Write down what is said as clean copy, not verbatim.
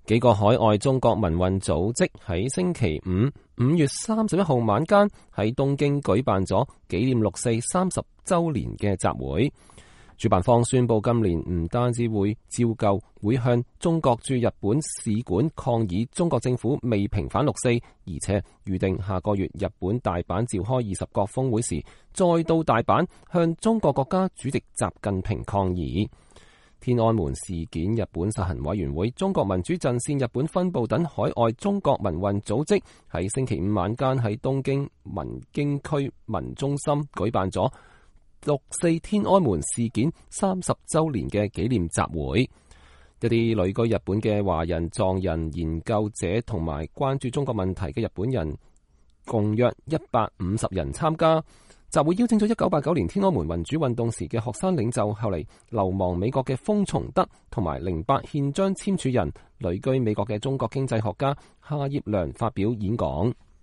幾個海外中國民運組織喺星期5月31號晚間喺東京舉辦咗紀念六四30週年嘅集會。主辦方宣布今年唔單止會照舊會向中國駐日本使館抗議中國政府未平反六四，而且預定下個月日本大阪召開20國峰會時，再到大阪向中國國家主席習近平抗議。天安門事件日本實行委員會、中國民主陣線日本分部等海外中國民運組織喺星期5晚間喺東京文京區民中心舉辦咗六四天安門事件30週年嘅紀念集會。一啲旅居日本嘅華人、藏人研究者同埋關注中國問題嘅日本人共約150人參加。集會邀請咗1989年天安門民主運動時嘅學生領袖，後嚟流亡美國嘅豐松德同埋08憲章簽署人、旅居美國嘅中國經濟學家夏業良發表演講。